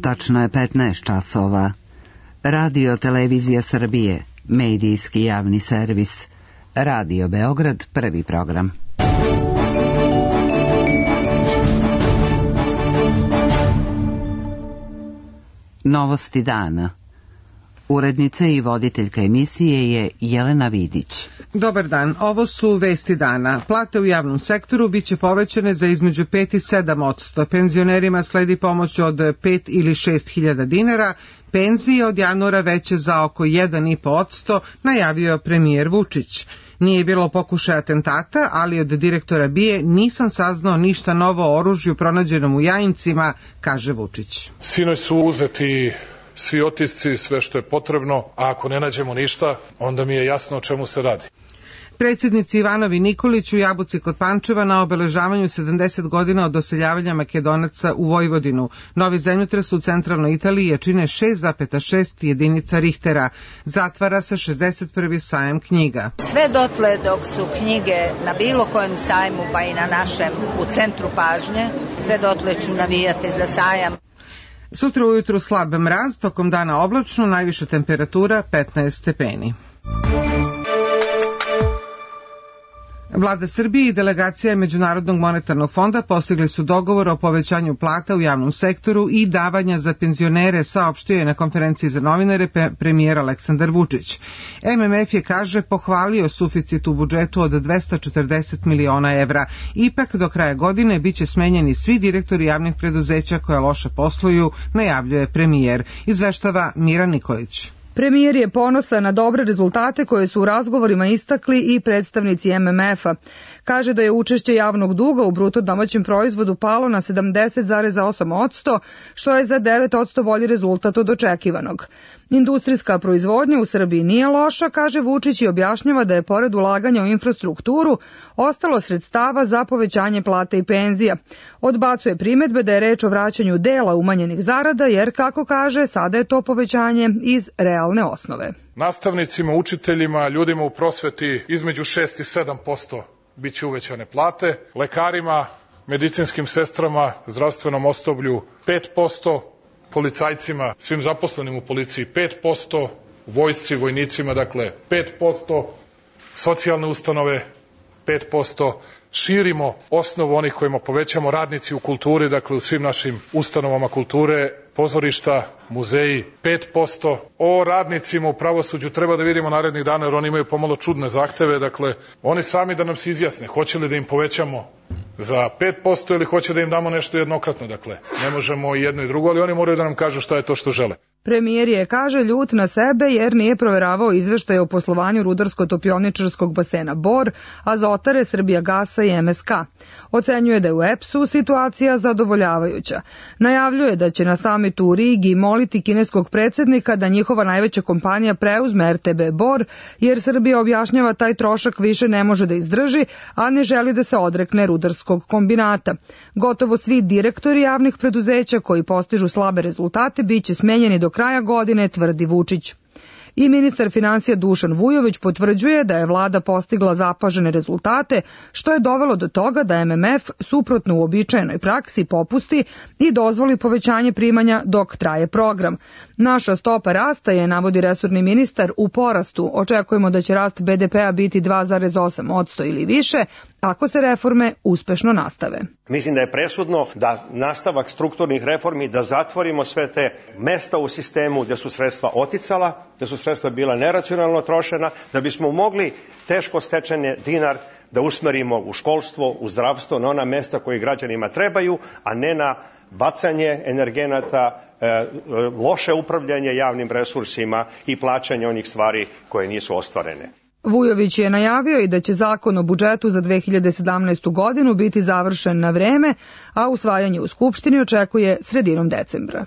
Tačno je 15 časova. Radio Televizija Srbije, medijski javni servis. Radio Beograd, prvi program. Novosti dana. Urednica i voditeljka emisije je Jelena Vidić. Dobar dan, ovo su vesti dana. Plate u javnom sektoru biće povećane za između 5 i 7%. Penzionerima sledi pomoć od 5 ili 6 hiljada dinara. Penzije od januara veće za oko 1,5%, najavio premijer Vučić. Nije bilo pokušaja atentata, ali od direktora BIA nisam saznao ništa novo o oružju pronađenom u Jajincima, kaže Vučić. Sinoć su uzeti svi otisci, sve što je potrebno, a ako ne nađemo ništa, onda mi je jasno o čemu se radi. Predsjednici Ivanovi i Nikolić u Jabuci kod Pančeva na obeležavanju 70 godina od doseljavanja Makedonaca u Vojvodinu. Novi zemljotres u centralnoj Italiji jačine 6,6 jedinica Richtera. Zatvara se 61. sajam knjiga. Sve dotle dok su knjige na bilo kojem sajmu, pa i na našem, u centru pažnje, sve dotle ću navijati za sajam. Sutra ujutru slab mraz, tokom dana oblačno, najviša temperatura 15 stepeni. Vlada Srbije i delegacija Međunarodnog monetarnog fonda postigli su dogovor o povećanju plata u javnom sektoru i davanja za penzionere, saopštio je na konferenciji za novinare premijer Aleksandar Vučić. MMF je, kaže, pohvalio suficit u budžetu od 240 miliona evra. Ipak do kraja godine biće smenjeni svi direktori javnih preduzeća koja loše posluju, najavljuje premijer. Izveštava Mira Nikolić. Premijer je ponosan na dobre rezultate koje su u razgovorima istakli i predstavnici MMF-a. Kaže da je učešće javnog duga u bruto domaćem proizvodu palo na 70,8%, što je za 9% bolji rezultat od očekivanog. Industrijska proizvodnja u Srbiji nije loša, kaže Vučić, i objašnjava da je pored ulaganja u infrastrukturu ostalo sredstava za povećanje plata i penzija. Odbacuje primedbe da je reč o vraćanju dela umanjenih zarada, jer, kako kaže, sada je to povećanje iz realne osnove. Nastavnicima, učiteljima, ljudima u prosveti između 6 i 7% biće uvećane plate, lekarima, medicinskim sestrama, zdravstvenom osoblju 5%, policajcima, svim zaposlenim u policiji 5%, vojsci, vojnicima, dakle 5%, socijalne ustanove 5%, širimo osnovu onih kojima povećamo, radnici u kulturi, dakle u svim našim ustanovama kulture, pozorišta, muzeji 5%. O radnicima u pravosuđu treba da vidimo narednih dana, jer oni imaju pomalo čudne zahteve, dakle oni sami da nam se izjasne, hoće li da im povećamo za 5% ili hoće da im damo nešto jednokratno, dakle ne možemo i jedno i drugo, ali oni moraju da nam kažu šta je to što žele. Premijer je, kaže, ljut na sebe jer nije proveravao izveštaje o poslovanju rudarsko-topioničarskog basena Bor, Azotare, Srbijagasa i MSK. Ocenjuje da je u EPS-u situacija zadovoljavajuća. Najavljuje da će na samitu u Rigi moliti kineskog predsjednika da njihova najveća kompanija preuzme RTB Bor, jer Srbija, objašnjava, taj trošak više ne može da izdrži, a ne želi da se odrekne rudarskog kombinata. Gotovo svi direktori javnih preduzeća koji postižu slabe rezultate biće smenjeni do kraja godine, tvrdi Vučić. I ministar financija Dušan Vujović potvrđuje da je vlada postigla zapažene rezultate, što je dovelo do toga da MMF, suprotno uobičajenoj praksi, popusti i dozvoli povećanje primanja dok traje program. Naša stopa rasta je, navodi resorni ministar, u porastu. Očekujemo da će rast BDP-a biti 2,8% ili više, ako se reforme uspešno nastave. Mislim da je presudno da nastavak strukturnih reformi, da zatvorimo sve te mesta u sistemu gde su sredstva oticala, gde su sredstva bila neracionalno trošena, da bismo mogli teško stečene dinar da usmerimo u školstvo, u zdravstvo, na ona mesta koji građanima trebaju, a ne na bacanje energenata, loše upravljanje javnim resursima i plaćanje onih stvari koje nisu ostvarene. Vujović je najavio i da će zakon o budžetu za 2017. godinu biti završen na vreme, a usvajanje u Skupštini očekuje sredinom decembra.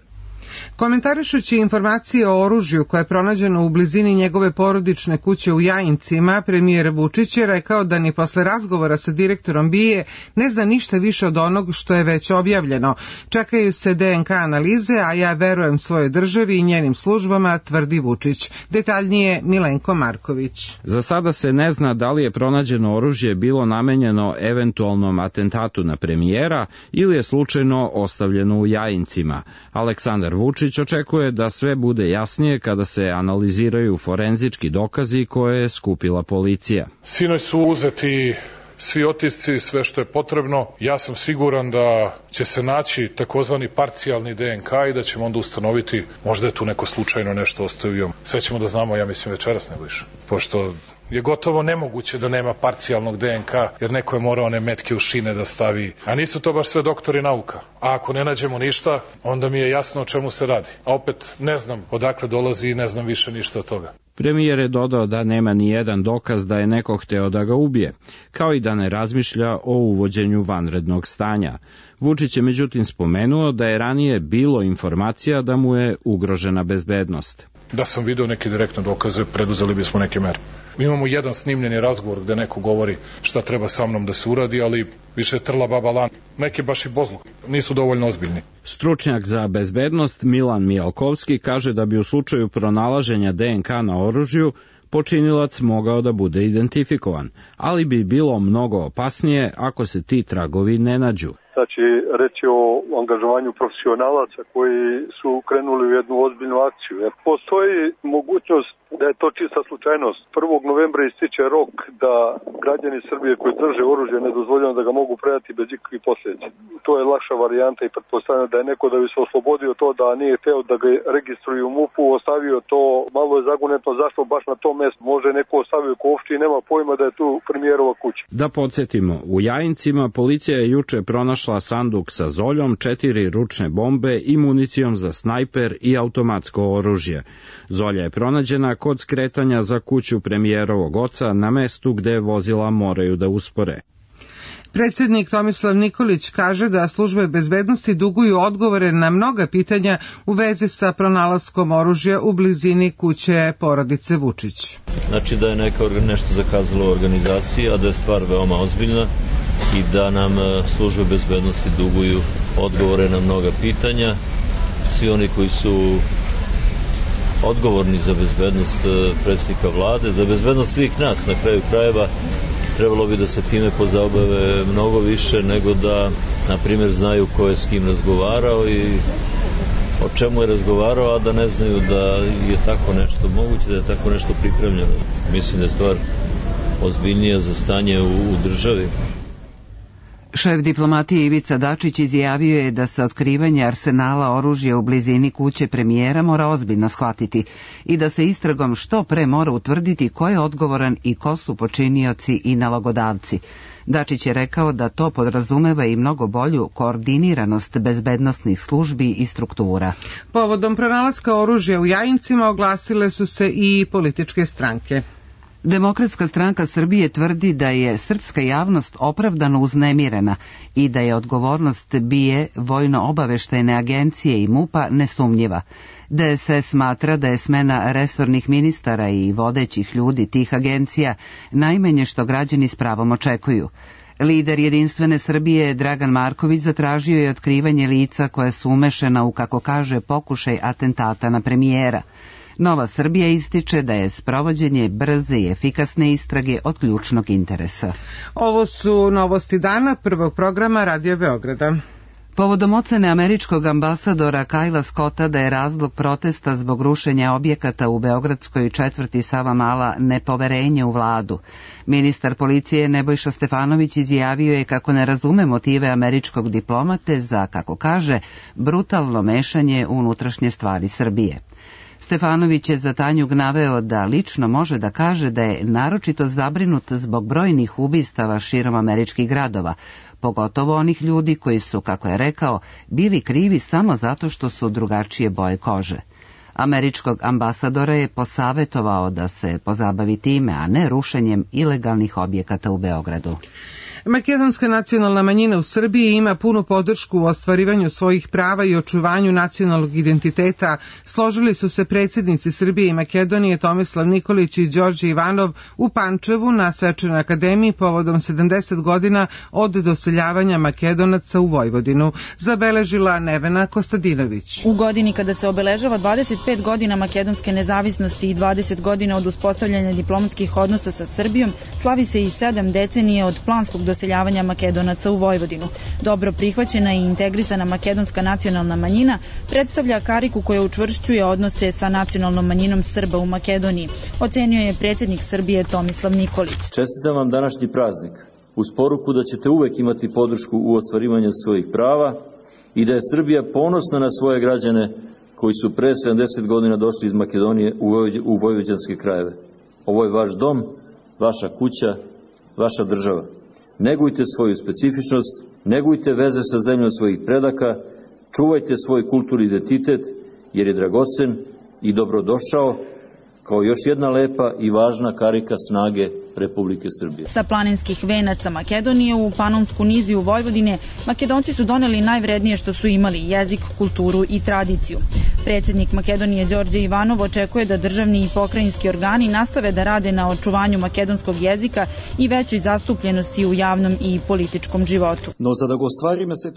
Komentarišući informacije o oružju koje je pronađeno u blizini njegove porodične kuće u Jajincima, premijer Vučić je rekao da ni posle razgovora sa direktorom BIA ne zna ništa više od onog što je već objavljeno. Čekaju se DNK analize, a ja verujem svojoj državi i njenim službama, tvrdi Vučić. Detaljnije Milenko Marković. Za sada se ne zna da li je pronađeno oružje bilo namenjeno eventualnom atentatu na premijera ili je slučajno ostavljeno u Jajincima. Aleksandar Vučić očekuje da sve bude jasnije kada se analiziraju forenzički dokazi koje je skupila policija. Sinoć su uzeti svi otisci, sve što je potrebno. Ja sam siguran da će se naći takozvani parcijalni DNK i da ćemo onda ustanoviti, možda je tu neko slučajno nešto ostavio. Sve ćemo da znamo, ja mislim, večeras nego više. Pošto je gotovo nemoguće da nema parcijalnog DNK, jer neko je morao one metke u šine da stavi. A nisu to baš sve doktori nauka. A ako ne nađemo ništa, onda mi je jasno o čemu se radi. A opet ne znam odakle dolazi i ne znam više ništa od toga. Premijer je dodao da nema ni jedan dokaz da je neko hteo da ga ubije, kao i da ne razmišlja o uvođenju vanrednog stanja. Vučić je međutim spomenuo da je ranije bilo informacija da mu je ugrožena bezbednost. Da sam video neke direktne dokaze, preduzeli bismo neke mere. Mi imamo jedan snimljeni razgovor gde neko govori šta treba sa mnom da se uradi, ali više trla baba lan. Neki baš i bozluk, nisu dovoljno ozbiljni. Stručnjak za bezbednost Milan Mijalkovski kaže da bi u slučaju pronalaženja DNK na oružju počinilac mogao da bude identifikovan, ali bi bilo mnogo opasnije ako se ti tragovi ne nađu. Znači, reći o angažovanju profesionalaca koji su krenuli u jednu ozbiljnu akciju. Jer postoji mogućnost da je to čista slučajnost. 1. novembra ističe rok da građani Srbije koji drže oružje nedozvoljeno da ga mogu predati bez ikakvih posljedica. To je lakša varijanta i pretpostavljam da je neko da bi se oslobodio to da nije hteo da ga registruju u MUP-u, ostavio to, malo je zagonetno zašto baš na tom mestu. Može neko ostavio Kovšči i nema pojma da je tu premijerova kuća. Da podsjetimo, u Jajincima policija je juče pronašla sanduk sa zoljom, 4 ručne bombe i municijom za snajper i automatsko oružje. Zolja je pronađena kod skretanja za kuću premijerovog oca na mestu gde vozila moraju da uspore. Predsjednik Tomislav Nikolić kaže da službe bezbednosti duguju odgovore na mnoga pitanja u vezi sa pronalaskom oružja u blizini kuće porodice Vučić. Znači da je nešto zakazalo u organizaciji, a da je stvar veoma ozbiljna i da nam službe bezbednosti duguju odgovore na mnoga pitanja. Svi oni koji su odgovorni za bezbednost predsjednika vlade, za bezbednost svih nas na kraju krajeva, trebalo bi da se time pozabave mnogo više nego da, na primjer, znaju ko je s kim razgovarao i o čemu je razgovarao, a da ne znaju da je tako nešto moguće, da je tako nešto pripremljeno. Mislim da je stvar ozbiljnija za stanje u državi. Šef diplomatije Ivica Dačić izjavio je da se otkrivanje arsenala oružja u blizini kuće premijera mora ozbiljno shvatiti i da se istragom što pre mora utvrditi ko je odgovoran i ko su počinioci i nalogodavci. Dačić je rekao da to podrazumeva i mnogo bolju koordiniranost bezbednosnih službi i struktura. Povodom pronalaska oružja u Jajincima oglasile su se i političke stranke. Demokratska stranka Srbije tvrdi da je srpska javnost opravdano uznemirena i da je odgovornost BIA, Vojno-obaveštajne agencije i MUP-a nesumnjiva. DSS smatra da je smena resornih ministara i vodećih ljudi tih agencija najmanje što građani s pravom očekuju. Lider Jedinstvene Srbije Dragan Marković zatražio je otkrivanje lica koja su umešana u, kako kaže, pokušaj atentata na premijera. Nova Srbija ističe da je sprovođenje brze i efikasne istrage od ključnog interesa. Ovo su novosti dana prvog programa Radio Beograda. Povodom ocene američkog ambasadora Kajla Scotta da je razlog protesta zbog rušenja objekata u beogradskoj četvrti Savamala nepoverenje u vladu, ministar policije Nebojša Stefanović izjavio je kako ne razume motive američkog diplomate za, kako kaže, brutalno mešanje u unutrašnje stvari Srbije. Stefanović je za Tanjug naveo da lično može da kaže da je naročito zabrinut zbog brojnih ubistava širom američkih gradova, pogotovo onih ljudi koji su, kako je rekao, bili krivi samo zato što su drugačije boje kože. Američkog ambasadora je posavetovao da se pozabavi time, a ne rušenjem ilegalnih objekata u Beogradu. Makedonska nacionalna manjina u Srbiji ima punu podršku u ostvarivanju svojih prava i očuvanju nacionalnog identiteta, složili su se predsjednici Srbije i Makedonije Tomislav Nikolić i Đorđe Ivanov u Pančevu na Svečanoj akademiji povodom 70 godina od doseljavanja Makedonaca u Vojvodinu, zabeležila Nevena Kostadinović. U godini kada se obeležava 25. 25 godina makedonske nezavisnosti i 20 godina od uspostavljanja diplomatskih odnosa sa Srbijom, slavi se i 7 decenije od planskog doseljavanja Makedonaca u Vojvodinu. Dobro prihvaćena i integrisana makedonska nacionalna manjina predstavlja kariku koja učvršćuje odnose sa nacionalnom manjinom Srba u Makedoniji, ocenio je predsjednik Srbije Tomislav Nikolić. Čestitam vam današnji praznik uz poruku da ćete uvek imati podršku u ostvarivanju svojih prava i da je Srbija ponosna na svoje građane koji su pre 70 godina došli iz Makedonije u vojvođanske krajeve. Ovo je vaš dom, vaša kuća, vaša država. Negujte svoju specifičnost, negujte veze sa zemljom svojih predaka, čuvajte svoj kulturni identitet jer je dragocen i dobrodošao kao još jedna lepa i važna karika snage Republike Srbije. Sa planinskih venaca Makedonije u Panonsku niziju Vojvodine, Makedonci su doneli najvrednije što su imali, jezik, kulturu i tradiciju. Predsjednik Makedonije Đorđe Ivanov očekuje da državni i pokrajinski organi nastave da rade na očuvanju makedonskog jezika i većoj zastupljenosti u javnom i političkom životu.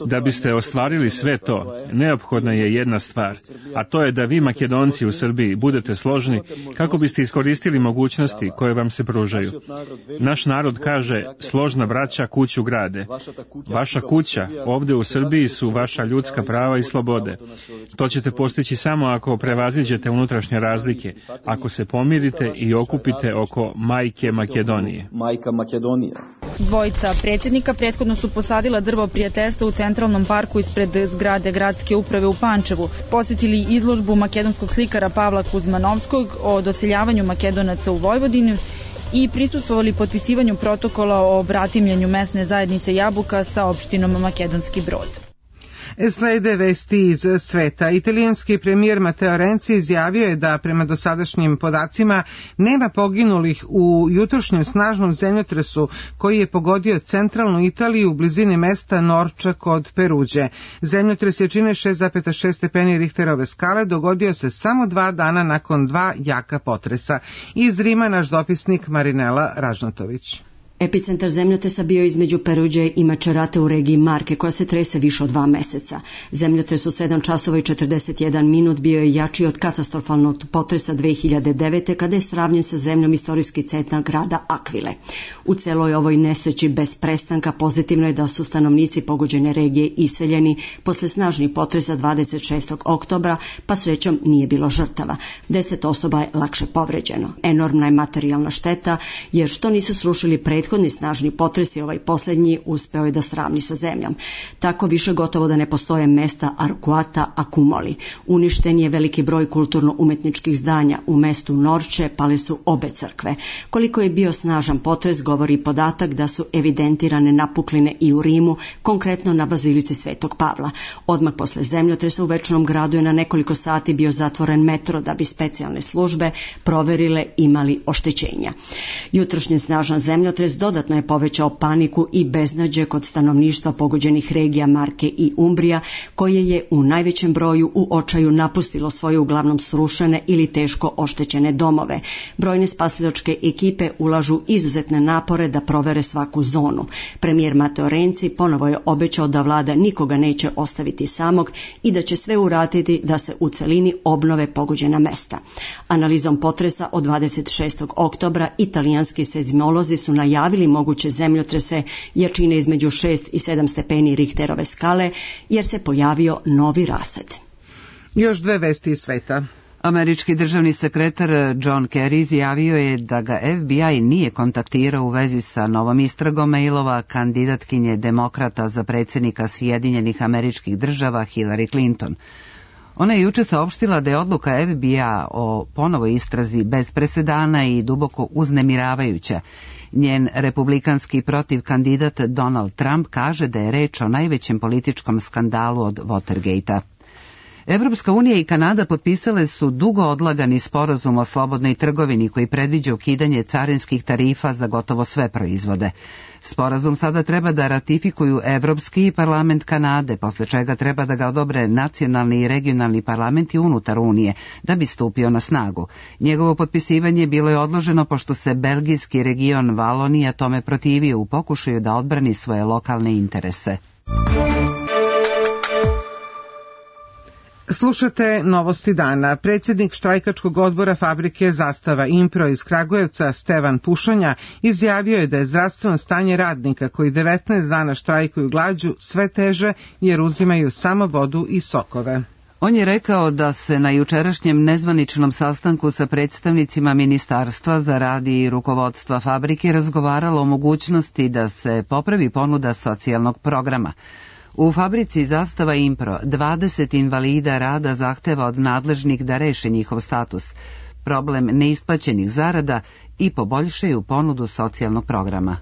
Da biste ostvarili sve to, neophodna je jedna stvar, a to je da vi Makedonci u Srbiji budete složni kako biste iskoristili mogućnosti koje vam se pružaju. Naš narod kaže, složna braća kuću grade. Vaša kuća ovde u Srbiji su vaša ljudska prava i slobode. To ćete postići samo ako prevaziđete unutrašnje razlike, ako se pomirite i okupite oko majke Makedonije. Dvojica predsjednika prethodno su posadila drvo prijateljstva u Centralnom parku ispred zgrade gradske uprave u Pančevu, posjetili izložbu makedonskog slikara Pavla Kuzmanovskog o doseljavanju Makedonaca u Vojvodinu i prisustvovali potpisivanju protokola o bratimljenju mesne zajednice Jabuka sa opštinom Makedonski Brod. Slede vesti iz sveta. Italijanski premijer Matteo Renzi izjavio je da prema dosadašnjim podacima nema poginulih u jutrošnjem snažnom zemljotresu koji je pogodio centralnu Italiju u blizini mesta Norča kod Peruđe. Zemljotres jačine 6,6 stepeni Richterove skale dogodio se samo 2 dana nakon 2 jaka potresa. Iz Rima naš dopisnik Marinela Ražnatović. Epicentar zemljotresa bio između Peruđe i Macerate u regiji Marke, koja se trese više od 2 meseca. Zemljotres u 7 časova i 41 minut bio je jači od katastrofalnog potresa 2009. kada je sravnjen sa zemljom istorijski centar grada Akvile. U celoj ovoj nesreći bez prestanka pozitivno je da su stanovnici pogođene regije iseljeni posle snažnih potresa 26. oktobra, pa srećom nije bilo žrtava. 10 osoba je lakše povređeno. Enormna je materijalna šteta, jer što nisu srušili prethodni snažni potres i ovaj posljednji uspeo je da sravni sa zemljom. Tako više gotovo da ne postoje mesta Arkuata Akumoli. Uništen je veliki broj kulturno-umetničkih zdanja. U mestu Norče pale su obe crkve. Koliko je bio snažan potres govori podatak da su evidentirane napukline i u Rimu, konkretno na bazilici Svetog Pavla. Odmah posle zemljotresa u Večnom gradu je na nekoliko sati bio zatvoren metro da bi specijalne službe proverile imali oštećenja. Jutrošnji snažan zemljotres dodatno je povećao paniku i beznađe kod stanovništva pogođenih regija Marke i Umbrija, koje je u najvećem broju u očaju napustilo svoje uglavnom srušene ili teško oštećene domove. Brojne spasilačke ekipe ulažu izuzetne napore da provere svaku zonu. Premijer Matteo Renzi ponovo je obećao da vlada nikoga neće ostaviti samog i da će sve uraditi da se u celini obnove pogođena mesta. Analizom potresa od 26. oktobra italijanski seizmolozi su najavili moguće zemljotrese jačine između 6 i 7 stepeni Richterove skale, jer se pojavio novi rased. Još 2 vesti iz sveta. Američki državni sekretar John Kerry izjavio je da ga FBI nije kontaktirao u vezi sa novom istragom mailova kandidatkinje demokrata za predsjednika Sjedinjenih Američkih Država Hillary Clinton. Ona je juče saopštila da je odluka FBI-a o ponovoj istrazi bez presedana i duboko uznemiravajuća. Njen republikanski protivkandidat Donald Trump kaže da je reč o najvećem političkom skandalu od Watergate-a. Evropska unija i Kanada potpisale su dugo odlagani sporazum o slobodnoj trgovini koji predviđa ukidanje carinskih tarifa za gotovo sve proizvode. Sporazum sada treba da ratifikuju Evropski parlament Kanade, posle čega treba da ga odobre nacionalni i regionalni parlamenti unutar Unije, da bi stupio na snagu. Njegovo potpisivanje bilo je odloženo pošto se belgijski region Valonija tome protivio u pokušaju da odbrani svoje lokalne interese. Slušate Novosti dana. Predsjednik štrajkačkog odbora fabrike Zastava Impro iz Kragujevca, Stevan Pušanja, izjavio je da je zdravstveno stanje radnika koji 19 dana štrajkuju glađu sve teže jer uzimaju samo vodu i sokove. On je rekao da se na jučerašnjem nezvaničnom sastanku sa predstavnicima Ministarstva za rad i rukovodstva fabrike razgovaralo o mogućnosti da se popravi ponuda socijalnog programa. U fabrici Zastava Impro 20 invalida rada zahteva od nadležnih da reše njihov status, problem neisplaćenih zarada i poboljšaju ponudu socijalnog programa.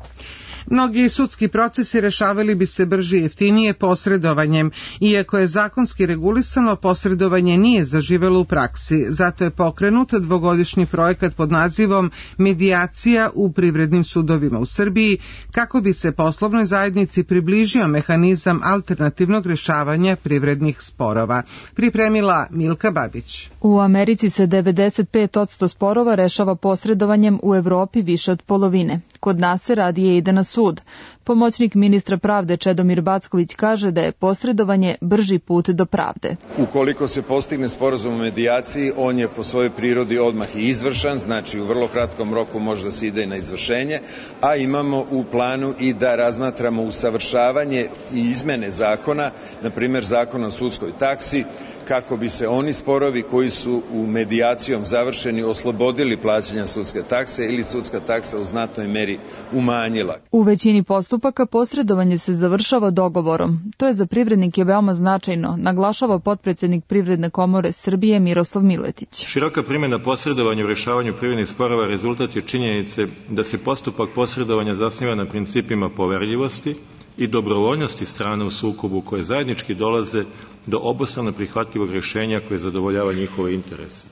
Mnogi sudski procesi rešavali bi se brže i jeftinije posredovanjem. Iako je zakonski regulisano, posredovanje nije zaživelo u praksi. Zato je pokrenut dvogodišnji projekat pod nazivom Medijacija u privrednim sudovima u Srbiji, kako bi se poslovnoj zajednici približio mehanizam alternativnog rešavanja privrednih sporova. Pripremila Milka Babić. U Americi se 95% sporova rešava posredovanjem, u Evropi više od polovine. Kod nas se radije ide na sud. Pomoćnik ministra pravde Čedomir Backović kaže da je posredovanje brži put do pravde. Ukoliko se postigne sporazum o medijaciji, on je po svojoj prirodi odmah i izvršan, znači u vrlo kratkom roku može da se ide na izvršenje, a imamo u planu i da razmatramo usavršavanje i izmene zakona, na primjer zakona o sudskoj taksi, kako bi se oni sporovi koji su u medijacijom završeni oslobodili plaćanja sudske takse ili sudska taksa u znatnoj meri umanjila. U većini postupaka posredovanje se završava dogovorom. To je za privrednike veoma značajno, naglašava potpredsednik Privredne komore Srbije Miroslav Miletić. Široka primjena posredovanja u rešavanju privrednih sporova rezultat je činjenice da se postupak posredovanja zasniva na principima poverljivosti i dobrovoljnosti strane u sukobu koje zajednički dolaze do obostrano prihvatljivog rješenja koje zadovoljava njihove interese.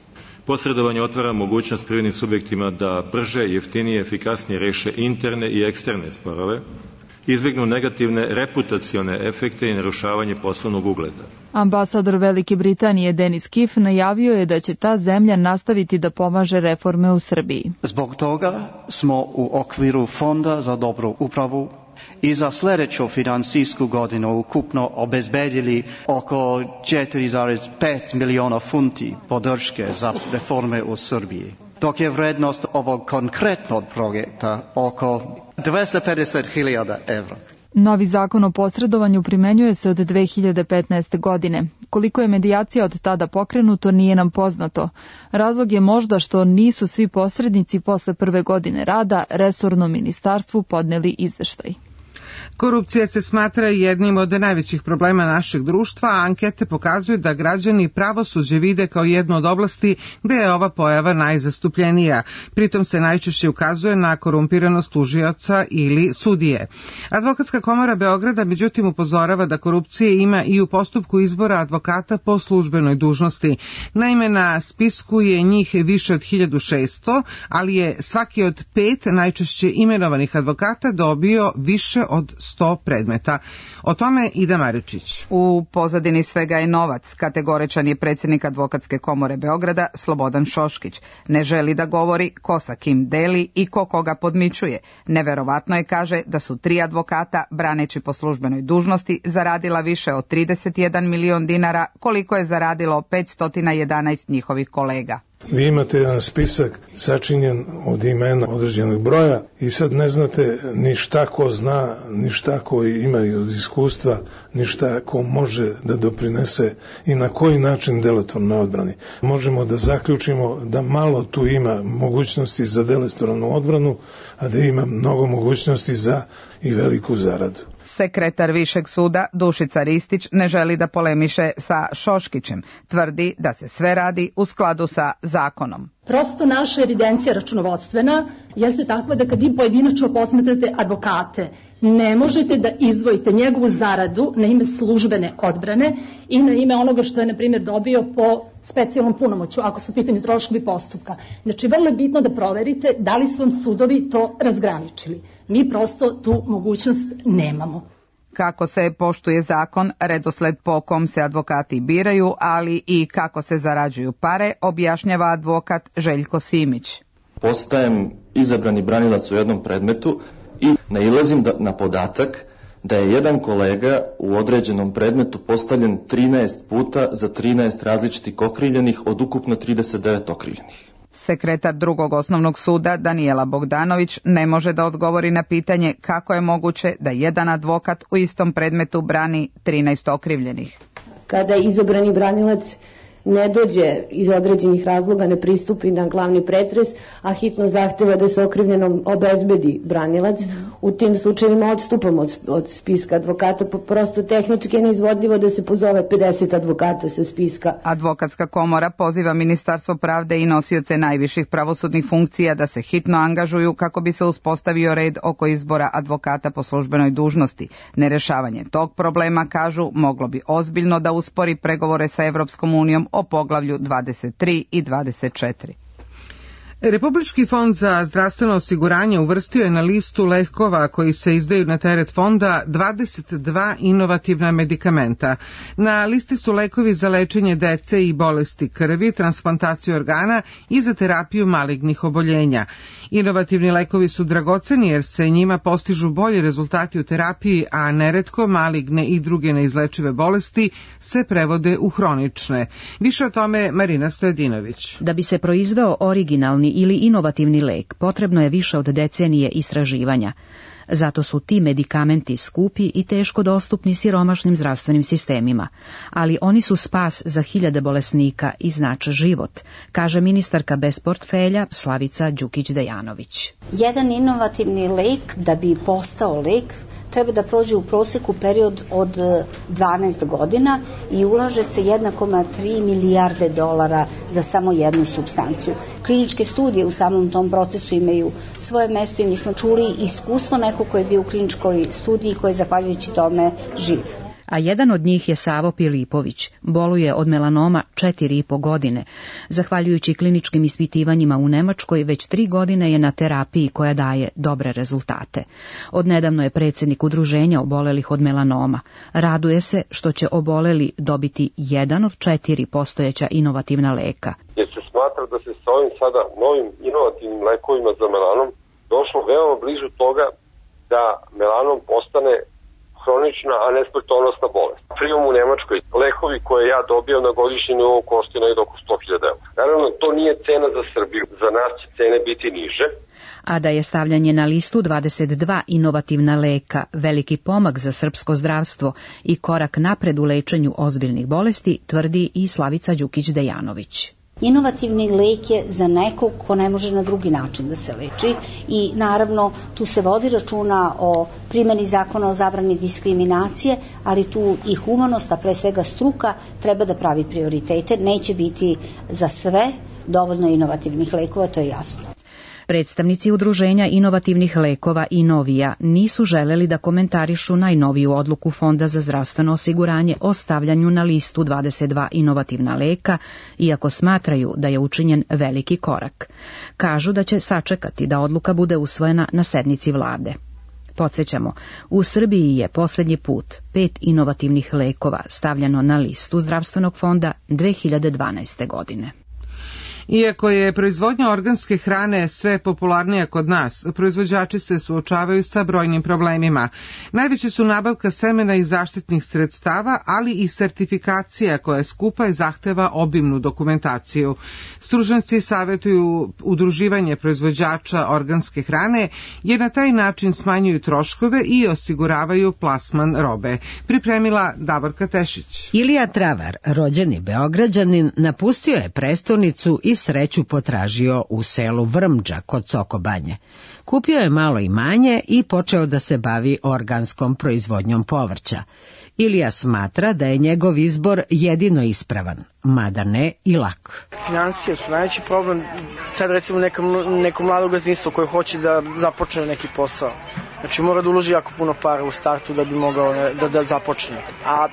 Posredovanje otvara mogućnost privrednim subjektima da brže, jeftinije, efikasnije reše interne i eksterne sporove, izbjegnu negativne reputacione efekte i narušavanje poslovnog ugleda. Ambasador Velike Britanije Denis Kiff najavio je da će ta zemlja nastaviti da pomaže reforme u Srbiji. Zbog toga smo u okviru Fonda za dobru upravu i za sljedeću finansijsku godinu ukupno obezbedili oko 4,5 miliona funti podrške za reforme u Srbiji, dok je vrednost ovog konkretnog projekta oko 250.000 evra. Novi zakon o posredovanju primenjuje se od 2015. godine. Koliko je medijacija od tada pokrenuto nije nam poznato. Razlog je možda što nisu svi posrednici posle prve godine rada resornom ministarstvu podneli izveštaj. Korupcija se smatra jednim od najvećih problema našeg društva, a ankete pokazuju da građani pravosuđe vide kao jednu od oblasti gde je ova pojava najzastupljenija. Pritom se najčešće ukazuje na korumpiranost tužioca ili sudije. Advokatska komora Beograda međutim upozorava da korupcije ima i u postupku izbora advokata po službenoj dužnosti. Naime, na spisku je njih više od 1600, ali je svaki od 5 najčešće imenovanih advokata dobio više od 100 predmeta. O tome Ida Maričić. U pozadini svega je novac. Kategoričan je predsjednik Advokatske komore Beograda Slobodan Šoškić. Ne želi da govori ko sa kim deli i ko koga podmićuje. Neverovatno je, kaže, da su 3 advokata, braneći po službenoj dužnosti, zaradila više od 31 milion dinara, koliko je zaradilo 511 njihovih kolega. Vi imate jedan spisak sačinjen od imena određenog broja i sad ne znate ni šta ko zna, ni šta ko ima od iskustva, ni šta ko može da doprinese i na koji način delotvorno odbrani. Možemo da zaključimo da malo tu ima mogućnosti za delotvornu odbranu, a da ima mnogo mogućnosti za i veliku zaradu. Sekretar Višeg suda Dušica Ristić ne želi da polemiše sa Šoškićem. Tvrdi da se sve radi u skladu sa zakonom. Prosto naša evidencija računovodstvena jeste takva da kad vi pojedinačno posmatrate advokate, ne možete da izdvojite njegovu zaradu na ime službene odbrane i na ime onoga što je, na primjer, dobio po specijalnom punomoću, ako su pitanje troškovi postupka. Znači, vrlo je bitno da proverite da li su vam sudovi to razgraničili. Mi prosto tu mogućnost nemamo. Kako se poštuje zakon, redosled po kom se advokati biraju, ali i kako se zarađuju pare, objašnjava advokat Željko Simić. Postajem izabrani branilac u jednom predmetu i nailazim na podatak da je jedan kolega u određenom predmetu postavljen 13 puta za 13 različitih okrivljenih od ukupno 39 okrivljenih. Sekretar drugog osnovnog suda Danijela Bogdanović ne može da odgovori na pitanje kako je moguće da jedan advokat u istom predmetu brani 13 okrivljenih. Kada izabrani branilac ne dođe iz određenih razloga, ne pristupi na glavni pretres, a hitno zahteva da se okrivljenom obezbedi branilac, u tim slučajevima odstupamo od spiska advokata, prosto tehnički je neizvodljivo da se pozove 50 advokata sa spiska. Advokatska komora poziva Ministarstvo pravde i nosioce najviših pravosudnih funkcija da se hitno angažuju kako bi se uspostavio red oko izbora advokata po službenoj dužnosti. Nerešavanje tog problema, kažu, moglo bi ozbiljno da uspori pregovore sa Evropskom unijom o poglavlju 23 i 24. Republički fond za zdravstveno osiguranje uvrstio je na listu lekova koji se izdaju na teret fonda 22 inovativna medikamenta. Na listi su lekovi za lečenje dece i bolesti krvi, transplantaciju organa i za terapiju malignih oboljenja. Inovativni lekovi su dragoceni jer se njima postižu bolji rezultati u terapiji, a neretko maligne i druge neizlečive bolesti se prevode u hronične. Više o tome Marina Stojadinović. Da bi se proizveo originalni ili inovativni lek, potrebno je više od decenije istraživanja. Zato su ti medikamenti skupi i teško dostupni siromašnim zdravstvenim sistemima, ali oni su spas za hiljade bolesnika i znače život, kaže ministarka bez portfelja Slavica Đukić-Dejanović. Jedan inovativni lek, da bi postao lek, treba da prođe u proseku period od 12 godina i ulaže se 1,3 milijarde dolara za samo jednu supstanciju. Kliničke studije u samom tom procesu imaju svoje mesto i mi smo čuli iskustvo nekog koji je bio u kliničkoj studiji koji je zahvaljujući tome živ. A jedan od njih je Savo Pilipović, boluje od melanoma 4,5 godine. Zahvaljujući kliničkim ispitivanjima u Nemačkoj, već 3 godine je na terapiji koja daje dobre rezultate. Odnedavno je predsjednik udruženja obolelih od melanoma. Raduje se što će oboleli dobiti jedan od 4 postojeća inovativna leka. Jer se smatra da se sa ovim sada novim inovativnim lekovima za melanom došlo veoma blizu toga da melanom postane hronična, a ne smrtonosna bolest. Prijom u Nemačkoj, lekovi koje ja dobijam na godišnjem nivou koštaju negdje oko 100.000 €. Naravno, to nije cena za Srbiju, za nas će cene biti niže. A da je stavljanje na listu 22 inovativna leka veliki pomak za srpsko zdravstvo i korak napred u lečenju ozbiljnih bolesti, tvrdi i Slavica Đukić-Dejanović. Inovativni lek je za nekog ko ne može na drugi način da se leči i naravno tu se vodi računa o primjeni zakona o zabrani diskriminacije, ali tu i humanost, a pre svega struka, treba da pravi prioritete. Neće biti za sve dovoljno inovativnih lekova, to je jasno. Predstavnici udruženja inovativnih lekova Inovija nisu želeli da komentarišu najnoviju odluku Fonda za zdravstveno osiguranje o stavljanju na listu 22 inovativna leka, iako smatraju da je učinjen veliki korak. Kažu da će sačekati da odluka bude usvojena na sednici vlade. Podsjećamo, u Srbiji je posljednji put 5 inovativnih lekova stavljeno na listu zdravstvenog fonda 2012. godine. Iako je proizvodnja organske hrane sve popularnija kod nas, proizvođači se suočavaju sa brojnim problemima. Najveće su nabavka semena i zaštitnih sredstava, ali i sertifikacija koja je skupa i zahteva obimnu dokumentaciju. Stručnjaci savjetuju udruživanje proizvođača organske hrane, jer na taj način smanjuju troškove i osiguravaju plasman robe. Pripremila Davorka Tešić. Ilija Travar, rođeni Beograđanin, napustio je prestonicu i sreću potražio u selu Vrmđa kod Sokobanje. Kupio je malo imanje i počeo da se bavi organskom proizvodnjom povrća. Ilija smatra da je njegov izbor jedino ispravan, mada ne i lak. Financije su najveći problem. Sad recimo neko mlado gazdinstvo koje hoće da započne neki posao. Znači mora da uloži jako puno para u startu da bi mogao da započne. A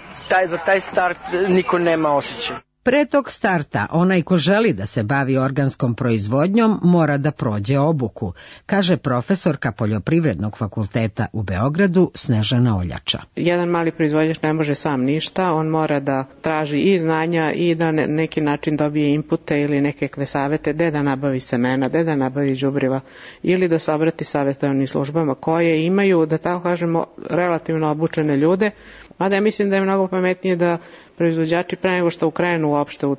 za taj start niko nema osjećaj. Pre tog starta, onaj ko želi da se bavi organskom proizvodnjom mora da prođe obuku, kaže profesorka Poljoprivrednog fakulteta u Beogradu Snežana Oljača. Jedan mali proizvođač ne može sam ništa, on mora da traži i znanja i da na neki način dobije inpute ili nekakve savete gde da nabavi semena, gde da nabavi đubriva ili da se obrati savjetovanim službama koje imaju, da tako kažemo, relativno obučene ljude, mada ja mislim da je mnogo pametnije da proizvođači pre nego što ukrenu uopšte u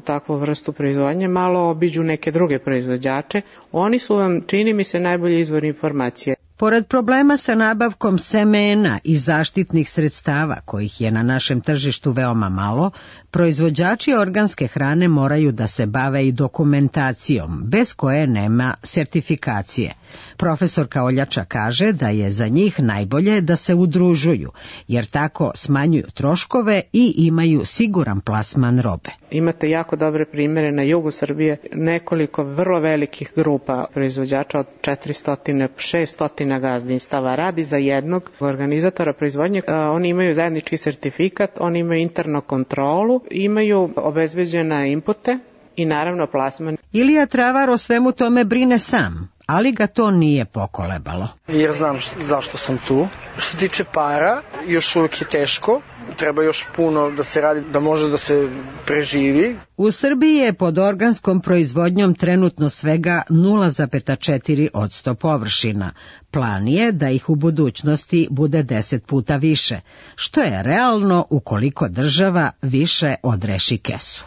takvu vrstu proizvodnje malo obiđu neke druge proizvođače. Oni su vam, čini mi se, najbolji izvor informacije. Pored problema sa nabavkom semena i zaštitnih sredstava, kojih je na našem tržištu veoma malo, proizvođači organske hrane moraju da se bave i dokumentacijom, bez koje nema sertifikacije. Profesorka Oljača kaže da je za njih najbolje da se udružuju, jer tako smanjuju troškove i imaju siguran plasman robe. Imate jako dobre primjere na jugu Srbije, nekoliko vrlo velikih grupa proizvođača od 400-600 gazdinstava radi za jednog organizatora proizvodnje. Oni imaju zajednički sertifikat, oni imaju internu kontrolu, imaju obezbeđene inpute i naravno plasman. Ilija Travar o svemu tome brine sam, ali ga to nije pokolebalo. Jer znam zašto sam tu. Što se tiče para, još uvijek je teško, treba još puno da se radi, da može da se preživi. U Srbiji je pod organskom proizvodnjom trenutno svega 0,4% površina. Plan je da ih u budućnosti bude 10 puta više, što je realno ukoliko država više odreši kesu.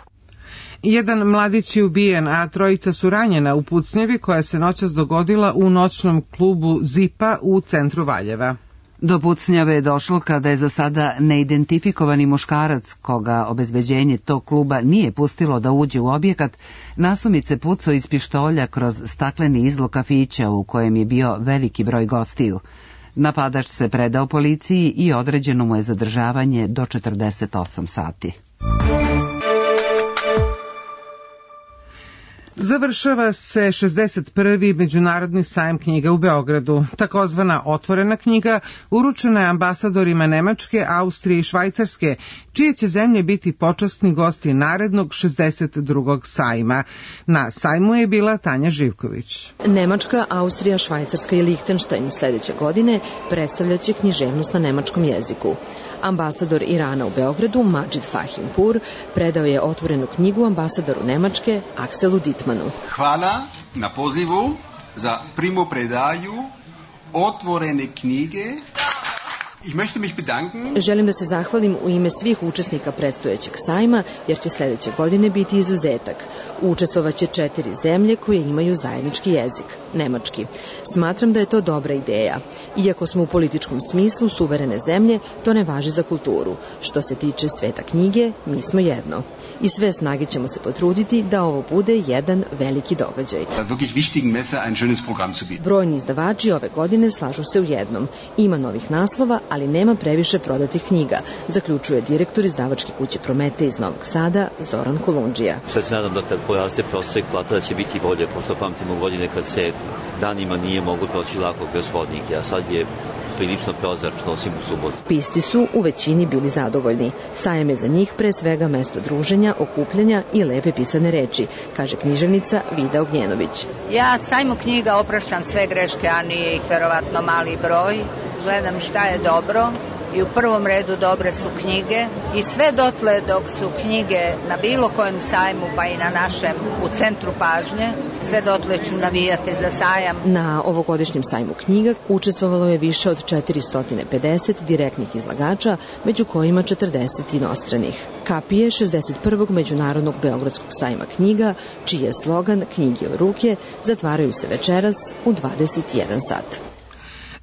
Jedan mladić je ubijen, a trojica su ranjena u pucnjevi koja se noćas dogodila u noćnom klubu Zipa u centru Valjeva. Do pucnjave je došlo kada je za sada neidentifikovani muškarac, koga obezbeđenje tog kluba nije pustilo da uđe u objekat, nasumice pucao iz pištolja kroz stakleni izlog kafića u kojem je bio veliki broj gostiju. Napadač se predao policiji i određeno mu je zadržavanje do 48 sati. Završava se 61. Međunarodni sajam knjiga u Beogradu. Takozvana otvorena knjiga uručena je ambasadorima Nemačke, Austrije i Švajcarske, čije će zemlje biti počasni gosti narednog 62. sajma. Na sajmu je bila Tanja Živković. Nemačka, Austrija, Švajcarska i Lihtenštajn sledeće godine predstavljaće književnost na nemačkom jeziku. Ambasador Irana u Beogradu, Madžid Fahimpur, predao je otvorenu knjigu ambasadoru Nemačke, Akselu Dittmanu. Hvala na pozivu za primopredaju otvorene knjige. Ich möchte mich bedanken. Želim da se zahvalim u ime svih učesnika predstojećeg sajma, jer će sledeće godine biti izuzetak. Učestvovaće 4 zemlje koje imaju zajednički jezik, nemački. Smatram da je to dobra ideja. Iako smo u političkom smislu suverene zemlje, to ne važi za kulturu. Što se tiče sveta knjige, mi smo jedno. I sve snage ćemo se potruditi da ovo bude jedan veliki događaj. Brojni izdavači ove godine slažu se u jednom. Ima novih naslova, ali nema previše prodatih knjiga, zaključuje direktor izdavačke kuće Promete iz Novog Sada, Zoran Kolundžija. Sad se nadam da kad poraste prosek plata da će biti bolje, pošto pamtimo godine kad se danima nije moglo proći lako kroz hodnike, a sad je prilično prozračno, osim u subotu. Pisci su u većini bili zadovoljni. Sajam je za njih pre svega mesto druženja, okupljanja i lepe pisane reči, kaže književnica Vida Ognjenović. Ja sajmu knjiga opraštam sve greške, a nije ih verovatno mali broj. Gledam šta je dobro i u prvom redu dobre su knjige i sve dotle dok su knjige na bilo kojem sajmu, pa i na našem u centru pažnje, sve dotle ću navijati za sajam. Na ovogodišnjem sajmu knjiga učestvovalo je više od 450 direktnih izlagača, među kojima 40 inostranih. Kapije 61. Međunarodnog Beogradskog sajma knjiga, čiji je slogan Knjige u ruke, zatvaraju se večeras u 21 sat.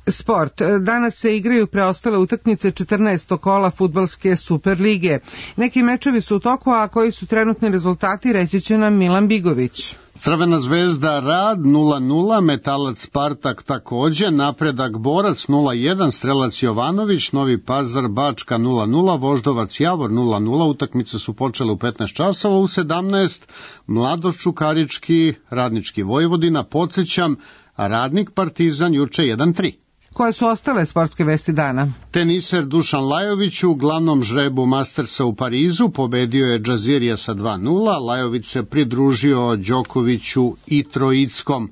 Sport. Danas se igraju preostale utakmice 14. kola fudbalske Superlige. Neki mečevi su u toku, a koji su trenutni rezultati reći će nam Milan Bigović. Crvena zvezda Rad 0-0, Metalac Spartak takođe, Napredak Borac 0-1, Strelac Jovanović, Novi Pazar Bačka 0-0, Voždovac Javor 0-0, utakmice su počele u 15 časova, u 17 Mladost Čukarički, Radnički Vojvodina, podsjećam, Radnik Partizan juče 1-3. Koje su ostale sportske vesti dana? Teniser Dušan Lajović u glavnom žrebu Mastersa u Parizu pobedio je Džazirija sa 2-0. Lajović se pridružio Đokoviću i Trojickom.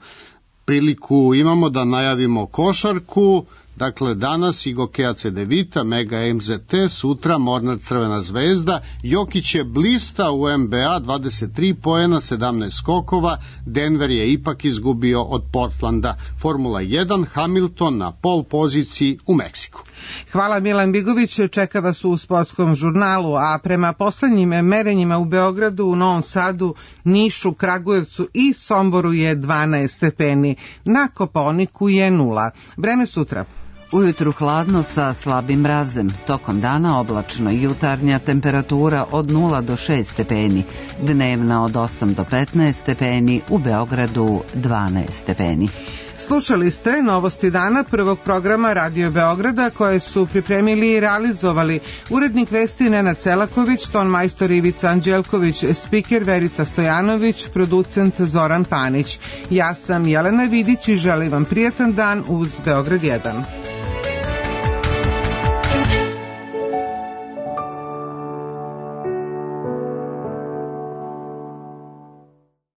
Priliku imamo da najavimo košarku. Dakle, danas Igokea Cedevita, Mega MZT, sutra Mornar Crvena zvezda. Jokić je blista u NBA, 23 poena, 17 skokova. Denver je ipak izgubio od Portlanda. Formula 1, Hamilton na pol poziciji u Meksiku. Hvala Milan Bigović, čeka vas u sportskom žurnalu, a prema poslednjim merenjima u Beogradu, u Novom Sadu, Nišu, Kragujevcu i Somboru je 12 stepeni. Na Kopaoniku je 0. Vreme sutra. Ujutru hladno sa slabim mrazem, tokom dana oblačno i jutarnja temperatura od 0 do 6 stepeni, dnevna od 8 do 15 stepeni, u Beogradu 12 stepeni. Slušali ste novosti dana prvog programa Radio Beograda koje su pripremili i realizovali urednik vesti Nenad Selaković, ton majstor Ivica Anđelković, spiker Verica Stojanović, producent Zoran Panić. Ja sam Jelena Vidić i želim vam prijatan dan uz Beograd 1.